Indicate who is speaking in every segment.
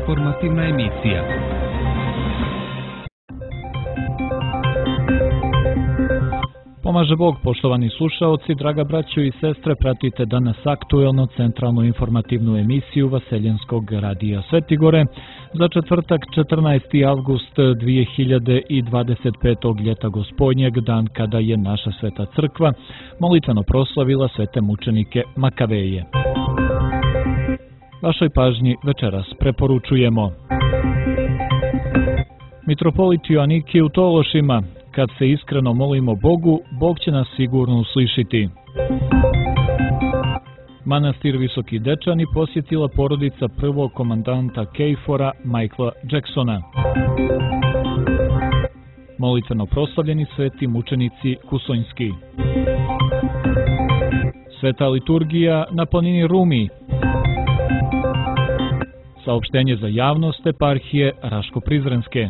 Speaker 1: Informativna emisija. Pomaže Bog, poštovani slušaoci, draga braćo i sestre, pratite danas aktuelno centralnu informativnu emisiju Vaseljenskog radija Svetigore za četvrtak 14. avgust 2025. ljeta Gospodnjeg, dan kada je naša Sveta Crkva molitveno proslavila svete mučenike Makaveje. Vašoj pažnji večeras preporučujemo Mitropolit Joanikije u Tološima. Kad se iskreno molimo Bogu, Bog će nas sigurno uslišiti. Manastir Visoki Dečani posjetila porodica prvog komandanta KFOR-a Michaela Jacksona. Molitveno proslavljeni sveti mučenici Kusonjski. Sveta liturgija na planini Rumi. Saopštenje za javnost eparhije Raško-Prizrenske.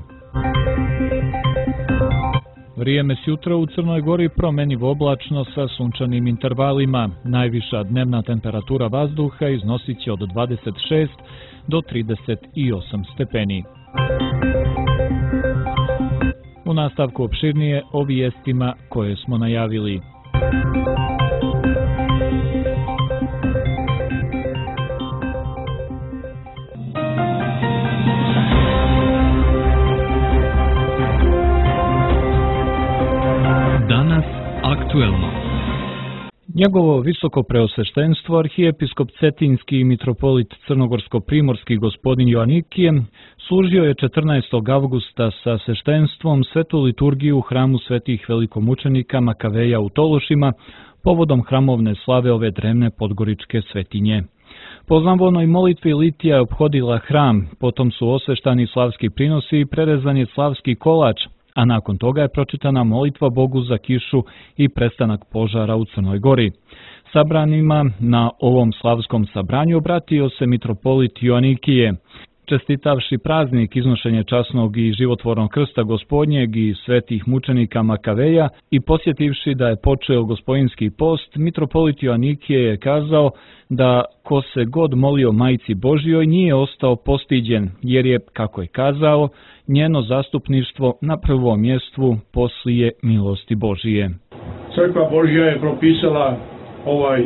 Speaker 1: Vrijeme s jutra u Crnoj Gori promjenjivo oblačno sa sunčanim intervalima. Najviša dnevna temperatura vazduha iznosit će od 26 do 38 stepeni. U nastavku opširnije o vijestima koje smo najavili. Aktuelno. Njegovo visoko preosveštenstvo, arhijepiskop Cetinski i mitropolit Crnogorsko-primorski gospodin Joanikije služio je 14. avgusta sa sveštenstvom svetu liturgiju u hramu svetih velikomučenika Makaveja u Tološima povodom hramovne slave ove drevne podgoričke svetinje. Po znavonoj molitvi litija je ophodila hram, potom su osveštani slavski prinosi i prerezan je slavski kolač, a nakon toga je pročitana molitva Bogu za kišu i prestanak požara u Crnoj Gori. Sabranima na ovom slavskom sabranju obratio se mitropolit Joanikije. Čestitavši praznik iznošenje časnog i životvornog krsta Gospodnjeg i svetih mučenika Makaveja i posjetivši da je počeo gospodinski post, mitropolit Joanikije je kazao da ko se god molio Majci Božjoj nije ostao postiđen, jer je, kako je kazao, njeno zastupništvo na prvom mjestu poslije milosti Božije.
Speaker 2: Crkva Božja je propisala ovaj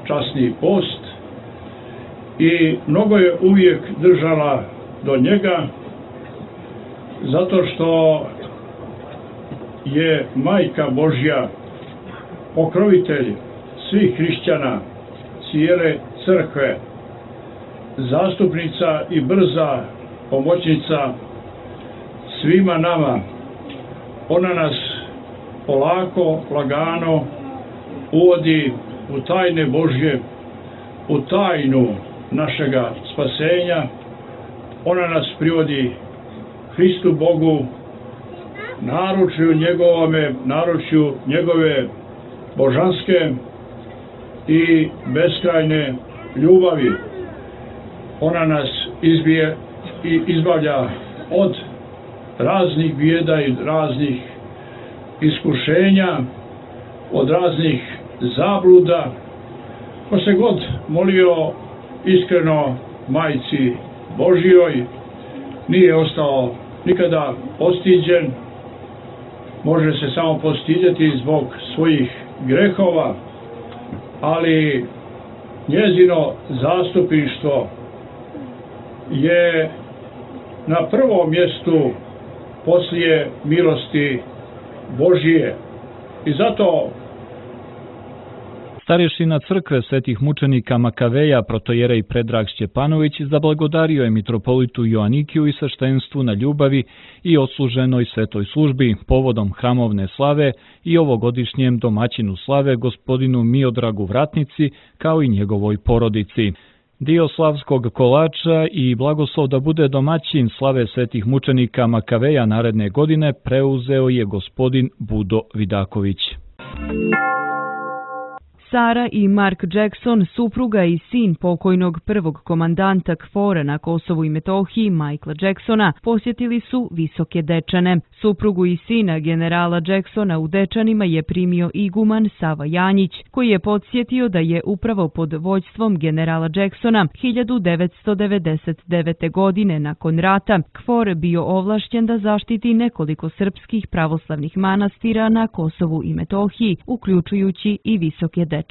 Speaker 2: časni post i mnogo je uvijek držala do njega, zato što je Majka Božja pokrovitelj svih hrišćana, cijele crkve, zastupnica i brza pomoćnica svima nama. Ona nas polako, lagano uvodi u tajne Božje, u tajnu našega spasenja. Ona nas privodi Hristu Bogu, naručju njegove božanske i beskrajne ljubavi. Ona nas izbavlja od raznih bijeda i raznih iskušenja, od raznih zabluda. Ko se god molio iskreno Majci Božjoj, nije ostao nikada postiđen, može se samo postidjeti zbog svojih grehova, ali njezino zastupništvo je na prvom mjestu poslije milosti Božije. I zato
Speaker 1: starješina crkve svetih mučenika Makaveja, protojerej Predrag Šćepanović, zablagodario je mitropolitu Joanikiju i sveštenstvu na ljubavi i odsluženoj svetoj službi povodom hramovne slave i ovogodišnjem domaćinu slave gospodinu Miodragu Vratnici, kao i njegovoj porodici. Dio slavskog kolača i blagoslov da bude domaćin slave svetih mučenika Makaveja naredne godine preuzeo je gospodin Budo Vidaković.
Speaker 3: Sara i Mark Jackson, supruga i sin pokojnog prvog komandanta KFOR-a na Kosovu i Metohiji, Michaela Jacksona, posjetili su Visoke Dečane. Suprugu i sina generala Jacksona u Dečanima je primio iguman Sava Janjić, koji je podsjetio da je upravo pod vođstvom generala Jacksona 1999. godine nakon rata KFOR bio ovlašćen da zaštiti nekoliko srpskih pravoslavnih manastira na Kosovu i Metohiji, uključujući i Visoke Dečane.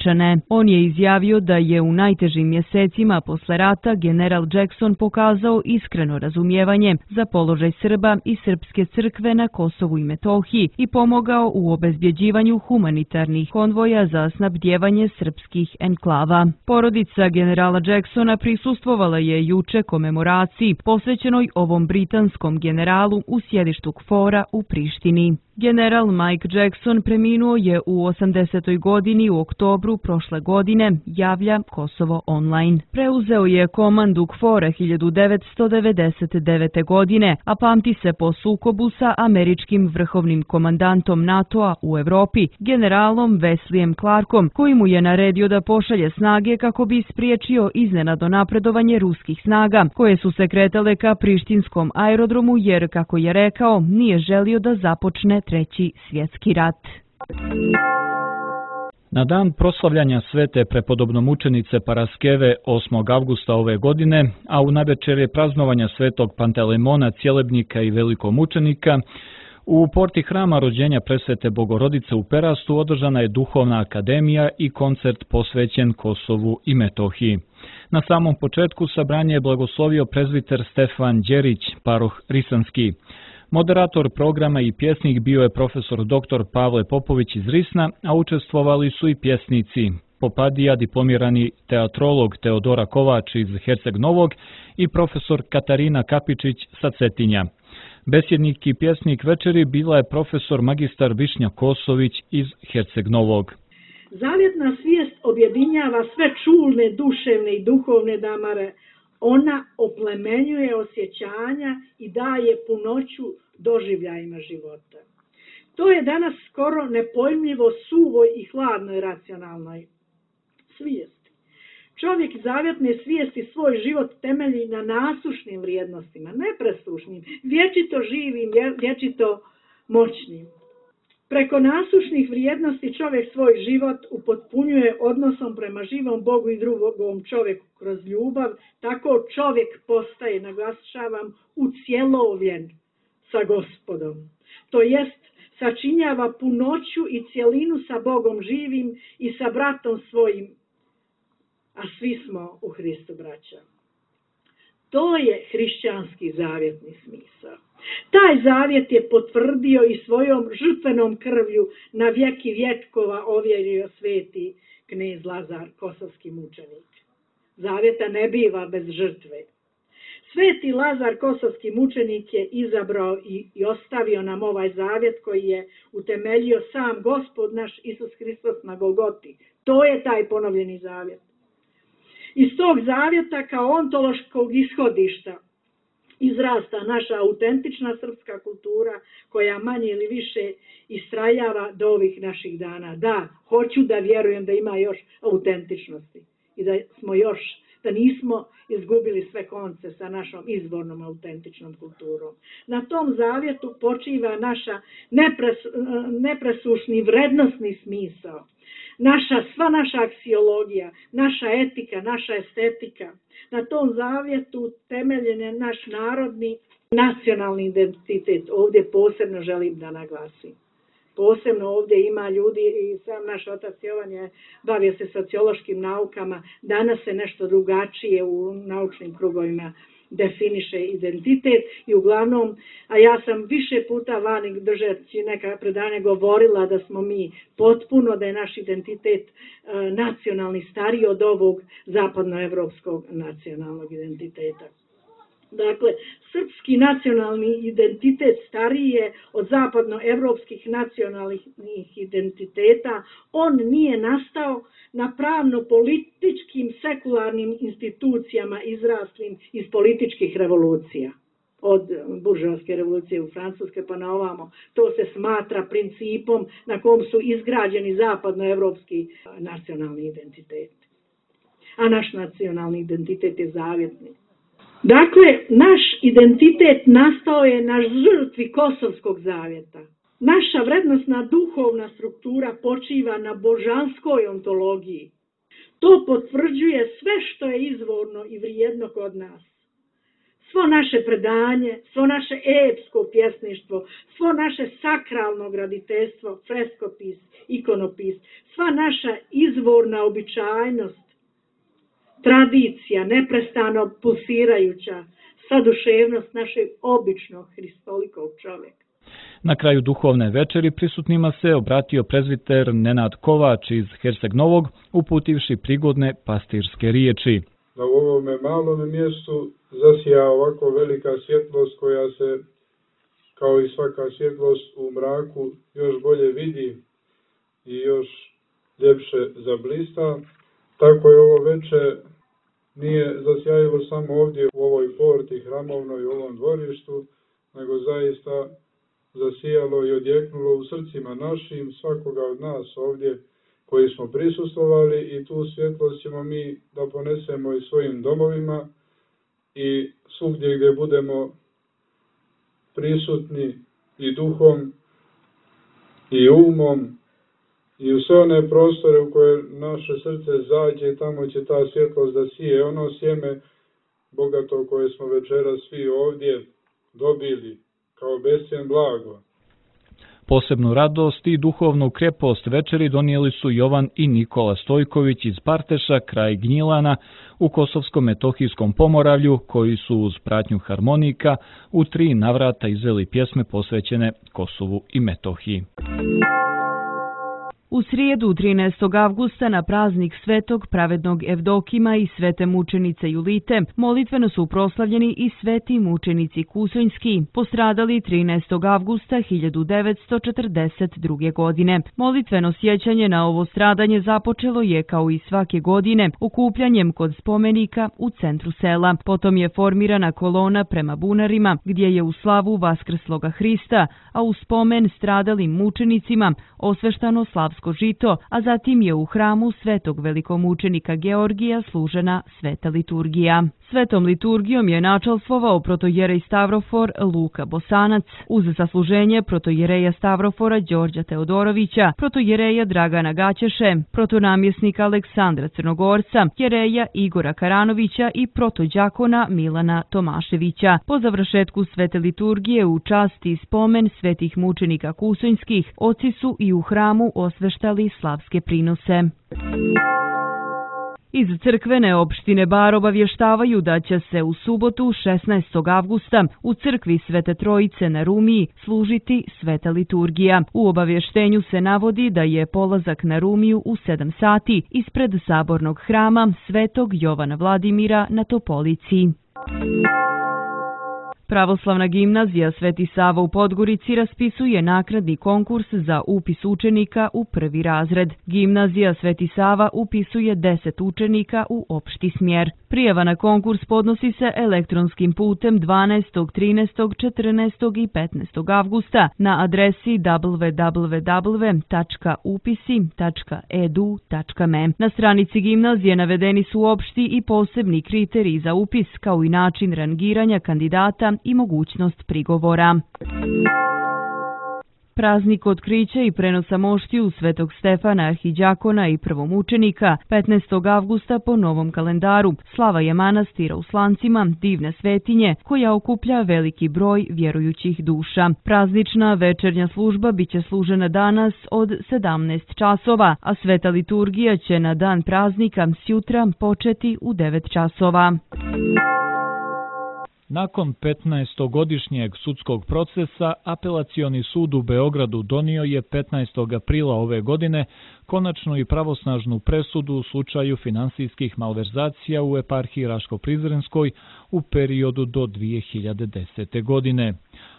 Speaker 3: On je izjavio da je u najtežim mjesecima posle rata general Jackson pokazao iskreno razumijevanje za položaj Srba i srpske crkve na Kosovu i Metohiji i pomogao u obezbjeđivanju humanitarnih konvoja za snabdjevanje srpskih enklava. Porodica generala Jacksona prisustvovala je juče komemoraciji posvećenoj ovom britanskom generalu u sjedištu KFOR-a u Prištini. General Mike Jackson preminuo je u 80. godini u oktobru prošle godine, javlja Kosovo Online. Preuzeo je komandu KFOR-a 1999. godine, a pamti se po sukobu sa američkim vrhovnim komandantom NATO-a u Evropi, generalom Wesleyem Clarkom, koji mu je naredio da pošalje snage kako bi spriječio iznenadno napredovanje ruskih snaga, koje su se kretale ka prištinskom aerodromu jer, kako je rekao, nije želio da započne Treći svjetski rat.
Speaker 1: Na dan proslavljanja svete prepodobnomučenice Paraskeve 8. avgusta ove godine, a u navečerje praznovanja svetog Pantelemona, Cjelebnika i velikomučenika, u porti hrama rođenja presvete Bogorodice u Perastu održana je duhovna akademija i koncert posvećen Kosovu i Metohiji. Na samom početku sabranje je blagoslovio prezbiter Stefan Đerić, paroh Risanski. Moderator programa i pjesnik bio je profesor dr. Pavle Popović iz Risna, a učestvovali su i pjesnici Popadija, diplomirani teatrolog Teodora Kovač iz Herceg Novog i profesor Katarina Kapičić sa Cetinja. Besjednik i pjesnik večeri bila je profesor magistar Višnja Kosović iz Herceg Novog.
Speaker 4: Zavjetna svijest objedinjava sve čulne, duševne i duhovne damare. Ona oplemenjuje osjećanja i daje punoću doživljajima života. To je danas skoro nepojmljivo suvoj i hladnoj racionalnoj svijesti. Čovjek zavjetne svijesti svoj život temelji na nasušnim vrijednostima, nepresušnim, vječito živim, vječito moćnim. Preko nasušnih vrijednosti čovjek svoj život upotpunjuje odnosom prema živom Bogu i drugom čovjeku kroz ljubav, tako čovjek postaje, naglašavam, ucjelovljen sa Gospodom. To jest, sačinjava punoću i cjelinu sa Bogom živim i sa bratom svojim, a svi smo u Hristu braća. To je hrišćanski zavjetni smisao. Taj zavjet je potvrdio i svojom žrtvenom krvlju na vjeki vjekova ovjerio sveti knez Lazar, kosovski mučenik. Zavjeta ne biva bez žrtve. Sveti Lazar, kosovski mučenik, je izabrao i ostavio nam ovaj zavjet koji je utemeljio sam Gospod naš Isus Hristos na Golgoti. To je taj ponovljeni zavjet. Iz tog zavjeta kao ontološkog ishodišta izrasta naša autentična srpska kultura koja manje ili više istrajava do ovih naših dana. Da, hoću da vjerujem da ima još autentičnosti i da nismo izgubili sve konce sa našom izvornom autentičnom kulturom. Na tom zavjetu počiva naša nepresušni vrednosni smisao. Sva naša aksiologija, naša etika, naša estetika. Na tom zavjetu temeljen je naš narodni nacionalni identitet. Ovdje posebno želim da naglasim. Posebno ovdje ima ljudi i sam naš otac Jovan je bavio se sociološkim naukama. Danas se nešto drugačije u naučnim krugovima definiše identitet i uglavnom, a ja sam više puta vani držeći neka predanja govorila da smo mi potpuno, da je naš identitet nacionalni stariji od ovog zapadnoevropskog nacionalnog identiteta. Dakle, srpski nacionalni identitet stariji je od zapadnoevropskih nacionalnih identiteta. On nije nastao na pravno-političkim sekularnim institucijama izraslim iz političkih revolucija. od buržoaske revolucije u Francuske pa na ovamo. To se smatra principom na kom su izgrađeni zapadnoevropski nacionalni identitet. A naš nacionalni identitet je zavjetni. Dakle, naš identitet nastao je na žrtvi Kosovskog zavjeta. Naša vrednostna duhovna struktura počiva na božanskoj ontologiji. To potvrđuje sve što je izvorno i vrijedno kod nas. Svo naše predanje, svo naše epsko pjesništvo, svo naše sakralno graditeljstvo, freskopis, ikonopis, sva naša izvorna običajnost, tradicija, neprestano pulsirajuća, saduševnost našeg običnog hristolikog čovjeka.
Speaker 1: Na kraju duhovne večeri prisutnima se obratio prezbiter Nenad Kovač iz Herceg Novog, uputivši prigodne pastirske riječi.
Speaker 5: Da u ovome malome mjestu zasija ovako velika svjetlost koja se, kao i svaka svjetlost u mraku, još bolje vidi i još ljepše zablista. Tako je ovo večer nije zasjajilo samo ovdje u ovoj porti hramovnoj, u ovom dvorištu, nego zaista zasijalo i odjeknulo u srcima našim, svakoga od nas ovdje koji smo prisustvovali, i tu svjetlost ćemo mi da ponesemo i svojim domovima i svugdje gdje budemo prisutni i duhom i umom i u sve one prostore u koje naše srce zađe, tamo će ta svjetlost da sije ono sjeme bogato koje smo večeras svi ovdje dobili kao bescjen blago.
Speaker 1: Posebnu radost i duhovnu krepost večeri donijeli su Jovan i Nikola Stojković iz Parteša, kraj Gnjilana, u Kosovsko-metohijskom Pomoravlju, koji su uz pratnju harmonika u 3 navrata izveli pjesme posvećene Kosovu i Metohiji.
Speaker 3: U srijedu 13. avgusta na praznik Svetog pravednog Evdokima i Svete mučenice Julite molitveno su proslavljeni i sveti mučenici Kusonjski, postradali 13. avgusta 1942. godine. Molitveno sjećanje na ovo stradanje započelo je kao i svake godine okupljanjem kod spomenika u centru sela. Potom je formirana kolona prema bunarima gdje je u slavu Vaskrsloga Hrista, a u spomen stradalim mučenicima osveštano slavsko žito, a zatim je u hramu svetog velikomučenika Georgija služena sveta liturgija. Svetom liturgijom je načalstvovao protojerej Stavrofor Luka Bosanac, uz zasluženje protojereja Stavrofora Đorđa Teodorovića, protojereja Dragana Gaćeše, protonamjesnika Aleksandra Crnogorca, jereja Igora Karanovića i protođakona Milana Tomaševića. Po završetku svete liturgije u čast i spomen svetih mučenika Kusonjskih, oci su i u hramu osveštali slavske prinose. Iz crkvene opštine Bar obavještavaju da će se u subotu 16. avgusta u crkvi Svete Trojice na Rumiji služiti sveta liturgija. U obavještenju se navodi da je polazak na Rumiju u 7 sati ispred sabornog hrama Svetog Jovana Vladimira na Topolici. Pravoslavna gimnazija Sveti Sava u Podgorici raspisuje naknadni konkurs za upis učenika u 1. razred. Gimnazija Sveti Sava upisuje 10 učenika u opšti smjer. Prijava na konkurs podnosi se elektronskim putem 12., 13., 14. i 15. avgusta na adresi www.upisi.edu.me. Na stranici gimnazije navedeni su opšti i posebni kriteriji za upis, kao i način rangiranja kandidata i mogućnost prigovora. Praznik otkrića i prenosa moštiju Svetog Stefana Arhiđakona i prvomučenika 15. avgusta po novom kalendaru slava je manastira u Slancima, divne svetinje koja okuplja veliki broj vjerujućih duša. Praznična večernja služba biće služena danas od 17 časova, a sveta liturgija će na dan praznika sjutra početi u 9 časova.
Speaker 1: Nakon 15-godišnjeg sudskog procesa, Apelacioni sud u Beogradu donio je 15. aprila ove godine konačnu i pravosnažnu presudu u slučaju finansijskih malverzacija u eparhiji Raško-Prizrenskoj u periodu do 2010. godine.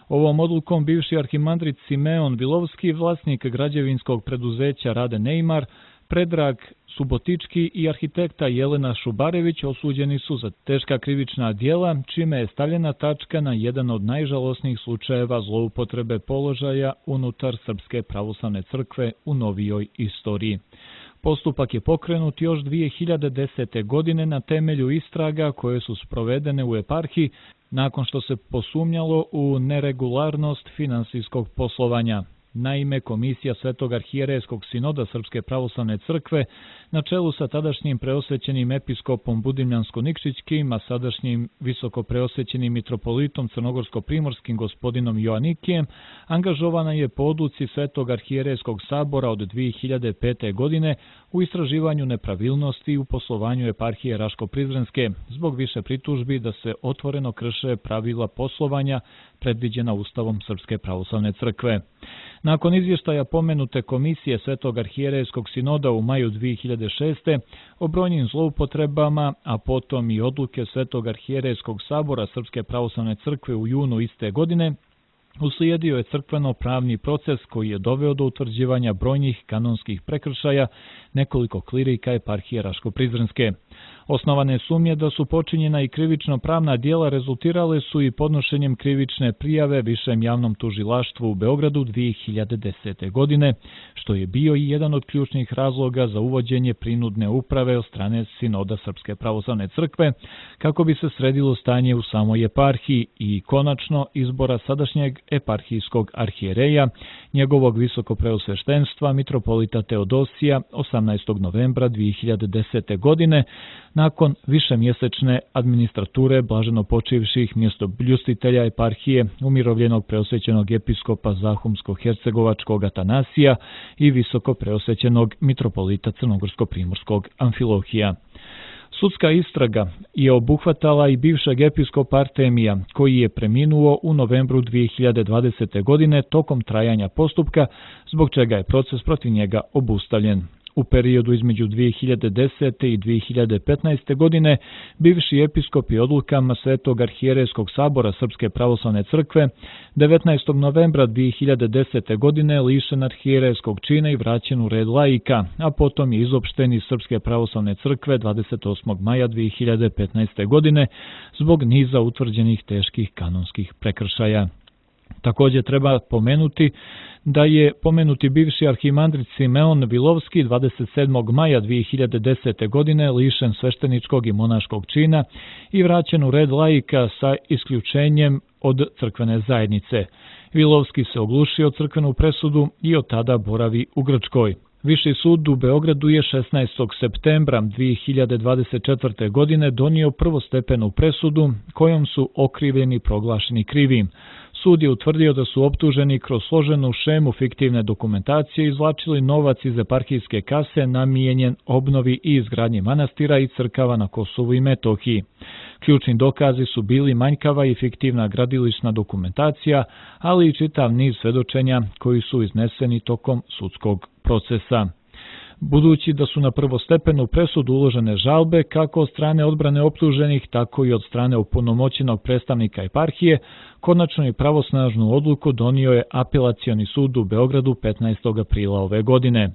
Speaker 1: Ovom odlukom bivši arhimandrit Simeon Vilovski, vlasnik građevinskog preduzeća Rade Neymar, Predrag Subotički i arhitekta Jelena Šubarević osuđeni su za teška krivična djela, čime je stavljena tačka na jedan od najžalosnijih slučajeva zloupotrebe položaja unutar Srpske pravoslavne crkve u novijoj istoriji. Postupak je pokrenut još 2010. godine na temelju istraga koje su sprovedene u eparhiji nakon što se posumnjalo u neregularnost finansijskog poslovanja. Naime, Komisija Svetog arhijerejskog sinoda Srpske pravoslavne crkve na čelu sa tadašnjim preosvećenim episkopom Budimljansko-Nikšićkim, a sadašnjim visoko preosvećenim mitropolitom crnogorsko-primorskim gospodinom Joanikijem, angažovana je po odluci Svetog arhijerejskog sabora od 2005. godine u istraživanju nepravilnosti u poslovanju eparhije Raško-Prizrenske zbog više pritužbi da se otvoreno krše pravila poslovanja predviđena Ustavom Srpske pravoslavne crkve. Nakon izvještaja pomenute Komisije Svetog arhijerejskog sinoda u maju 2006. o brojnim zloupotrebama, a potom i odluke Svetog arhijerejskog sabora Srpske pravoslavne crkve u junu iste godine, uslijedio je crkveno-pravni proces koji je doveo do utvrđivanja brojnih kanonskih prekršaja nekoliko klirika eparhije Raško-Prizrenske. Osnovane sumnje da su počinjena i krivično-pravna djela rezultirale su i podnošenjem krivične prijave Višem javnom tužilaštvu u Beogradu 2010. godine, što je bio i jedan od ključnih razloga za uvođenje prinudne uprave od strane Sinoda Srpske pravoslavne crkve, kako bi se sredilo stanje u samoj eparhiji i konačno izbora sadašnjeg eparhijskog arhijereja, njegovog visokopreosveštenstva mitropolita Teodosija 18. novembra 2010. godine, nakon višemjesečne administrature blaženopočivših mjestobljustitelja eparhije, umirovljenog preosvećenog episkopa Zahumsko-hercegovačkog Atanasija i visoko preosvećenog mitropolita crnogorsko-primorskog Amfilohija. Sudska istraga je obuhvatala i bivšeg episkopa Artemija, koji je preminuo u novembru 2020. godine tokom trajanja postupka, zbog čega je proces protiv njega obustavljen. U periodu između 2010. i 2015. godine bivši episkop je odlukama Svetog arhijerejskog sabora Srpske pravoslavne crkve 19. novembra 2010. godine lišen arhijerejskog čina i vraćen u red laika, a potom je izopšten iz Srpske pravoslavne crkve 28. maja 2015. godine zbog niza utvrđenih teških kanonskih prekršaja. Također treba pomenuti da je pomenuti bivši arhimandrit Simeon Vilovski 27. maja 2010. godine lišen svešteničkog i monaškog čina i vraćen u red laika sa isključenjem od crkvene zajednice. Vilovski se oglušio crkvenu presudu i od tada boravi u Grčkoj. Viši sud u Beogradu je 16. septembra 2024. godine donio prvostepenu presudu kojom su okrivljeni proglašeni krivim. Sud je utvrdio da su optuženi kroz složenu šemu fiktivne dokumentacije izvlačili novac iz eparhijske kase namijenjen obnovi i izgradnji manastira i crkava na Kosovu i Metohiji. Ključni dokazi su bili manjkava i fiktivna gradilišna dokumentacija, ali i čitav niz svedočenja koji su izneseni tokom sudskog procesa. Budući da su na prvostepenu presudu uložene žalbe kako od strane odbrane optuženih, tako i od strane opunomoćenog predstavnika eparhije, konačnu i pravosnažnu odluku donio je Apelacioni sud u Beogradu 15. aprila ove godine.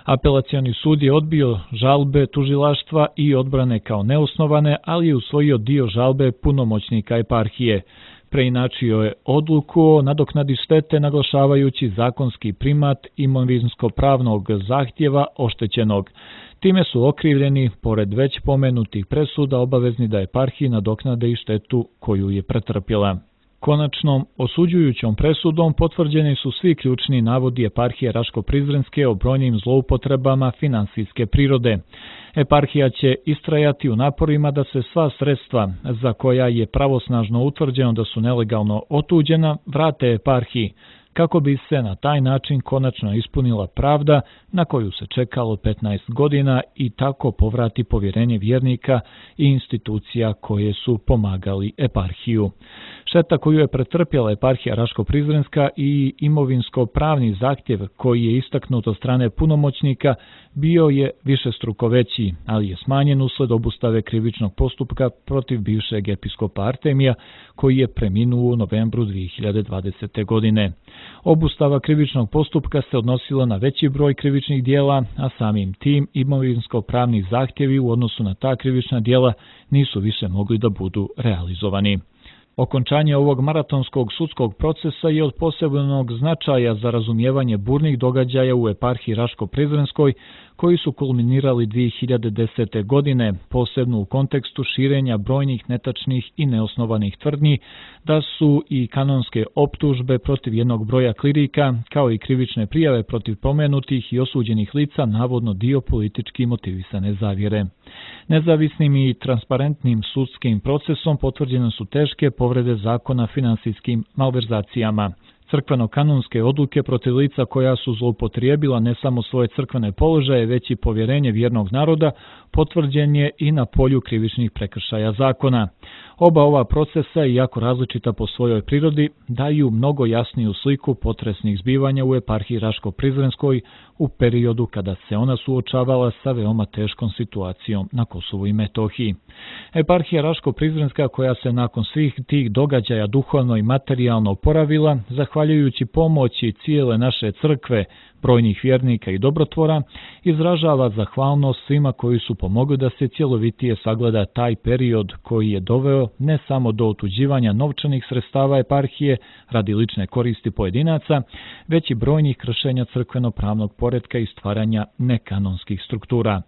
Speaker 1: Apelacioni sud je odbio žalbe tužilaštva i odbrane kao neosnovane, ali je usvojio dio žalbe punomoćnika eparhije. Preinačio je odluku o nadoknadi štete naglašavajući zakonski primat imovinsko-pravnog zahtjeva oštećenog. Time su okrivljeni, pored već pomenutih presuda, obavezni da eparhiji nadoknade i štetu koju je pretrpjela. Konačnom osuđujućom presudom potvrđeni su svi ključni navodi eparhije Raško-Prizrenske o brojnim zloupotrebama finansijske prirode. Eparhija će istrajati u naporima da se sva sredstva za koja je pravosnažno utvrđeno da su nelegalno otuđena vrate eparhiji, kako bi se na taj način konačno ispunila pravda na koju se čekalo 15 godina i tako povrati povjerenje vjernika i institucija koje su pomagali eparhiju. Šteta koju je pretrpjela eparhija Raško-Prizrenska i imovinsko-pravni zahtjev koji je istaknut od strane punomoćnika bio je višestruko veći, ali je smanjen usled obustave krivičnog postupka protiv bivšeg episkopa Artemija koji je preminuo u novembru 2020. godine. Obustava krivičnog postupka se odnosila na veći broj krivičnih dijela, a samim tim imovinsko-pravni zahtjevi u odnosu na ta krivična dijela nisu više mogli da budu realizovani. Okončanje ovog maratonskog sudskog procesa je od posebnog značaja za razumijevanje burnih događaja u eparhiji Raško-Prizrenskoj koji su kulminirali 2010. godine, posebno u kontekstu širenja brojnih netačnih i neosnovanih tvrdnji da su i kanonske optužbe protiv jednog broja klirika, kao i krivične prijave protiv pomenutih i osuđenih lica navodno dio politički motivisane zavjere. Nezavisnim i transparentnim sudskim procesom potvrđene su teške povrede zakona finansijskim malverzacijama. Crkveno-kanonske odluke protiv lica koja su zloupotrijebila ne samo svoje crkvene položaje, već i povjerenje vjernog naroda, potvrđen je i na polju krivičnih prekršaja zakona. Oba ova procesa, iako različita po svojoj prirodi, daju mnogo jasniju sliku potresnih zbivanja u eparhiji Raško-Prizrenskoj u periodu kada se ona suočavala sa veoma teškom situacijom na Kosovu i Metohiji. Eparhija Raško-Prizrenska, koja se nakon svih tih događaja duhovno i materijalno oporavila, zahvaljujući pomoći cijele naše crkve, brojnih vjernika i dobrotvora, izražava zahvalnost svima koji su pomogli da se cjelovitije sagleda taj period koji je doveo ne samo do otuđivanja novčanih sredstava eparhije radi lične koristi pojedinaca, već i brojnih kršenja crkveno-pravnog poretka i stvaranja nekanonskih struktura.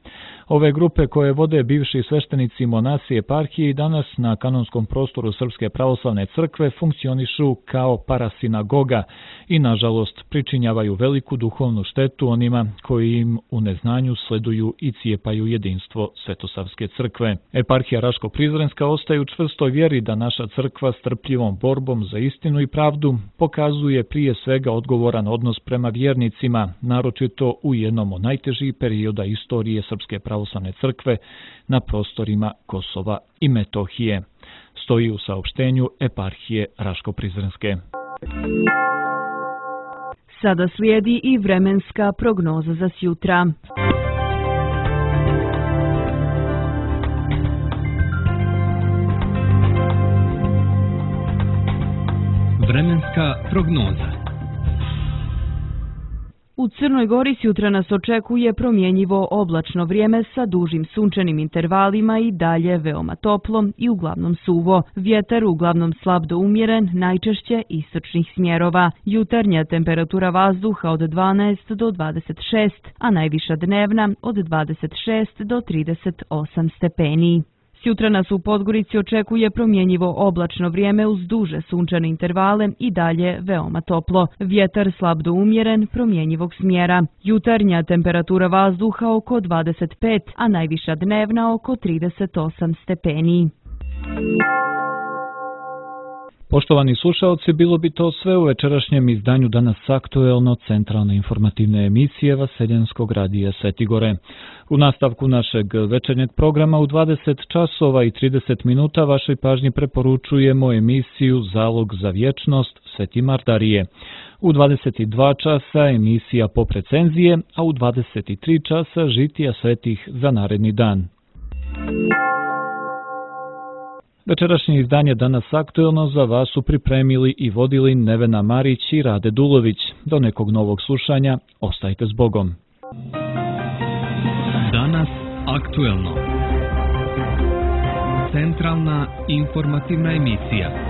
Speaker 1: Ove grupe koje vode bivši sveštenici monasi eparhije i danas na kanonskom prostoru Srpske pravoslavne crkve funkcionišu kao parasinagoga i nažalost pričinjavaju veliku duhovnu štetu onima koji im u neznanju sleduju i cijepaju jedinstvo Svetosavske crkve. Eparhija Raško-Prizrenska ostaje u čvrstoj vjeri da naša crkva s trpljivom borbom za istinu i pravdu pokazuje prije svega odgovoran odnos prema vjernicima, naročito u jednom od najtežih perioda istorije Srpske pravoslavne crkve na prostorima Kosova i Metohije. Stoji u saopštenju eparhije Raško-Prizrenske.
Speaker 3: Sada slijedi i vremenska prognoza za sjutra.
Speaker 6: Vremenska prognoza.
Speaker 3: U Crnoj Gori sjutra nas očekuje promjenjivo oblačno vrijeme sa dužim sunčanim intervalima i dalje veoma toplo i uglavnom suvo. Vjetar uglavnom slab do umjeren, najčešće istočnih smjerova. Jutarnja temperatura vazduha od 12 do 26, a najviša dnevna od 26 do 38 stepeni. Sjutra nas u Podgorici očekuje promjenjivo oblačno vrijeme uz duže sunčane intervale i dalje veoma toplo. Vjetar slab do umjeren, promjenjivog smjera. Jutarnja temperatura vazduha oko 25, a najviša dnevna oko 38 stepeni.
Speaker 1: Poštovani slušalci, bilo bi to sve u večerašnjem izdanju Danas aktuelno centralne informativne emisije Vaseljenskog radija Sveti Gore. U nastavku našeg večernjeg programa u 20 časova i 30 minuta vašoj pažnji preporučujemo emisiju Zalog za vječnost Sveti Mardarije. U 22 časa emisija Pop recenzije, a u 23 časa žitija svetih za naredni dan. Večerašnje izdanje Danas aktuelno za vas su pripremili i vodili Nevena Marić i Rade Dulović. Do nekog novog slušanja, ostajte s Bogom.
Speaker 6: Danas aktuelno. Centralna informativna emisija.